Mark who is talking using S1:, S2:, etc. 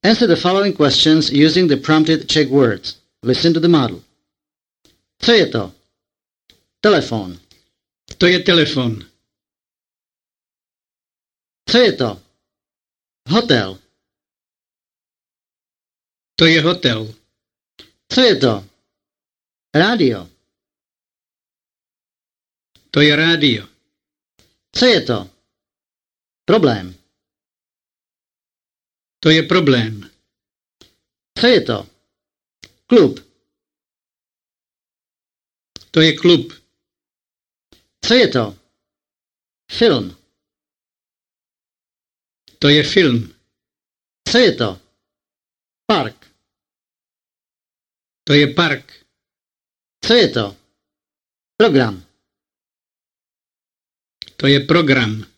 S1: Answer the following questions using the prompted Czech words. Listen to the model. Co je to? Telefon.
S2: To je telefon.
S1: Co je to? Hotel.
S2: To je hotel.
S1: Co je to? Rádio.
S2: To je rádio.
S1: Co je to? Problém.
S2: To je problém.
S1: Co je to? Klub.
S2: To je klub.
S1: Co je to? Film.
S2: To je film.
S1: Co je to? Park.
S2: To je park.
S1: Co je to? Program.
S2: To je program.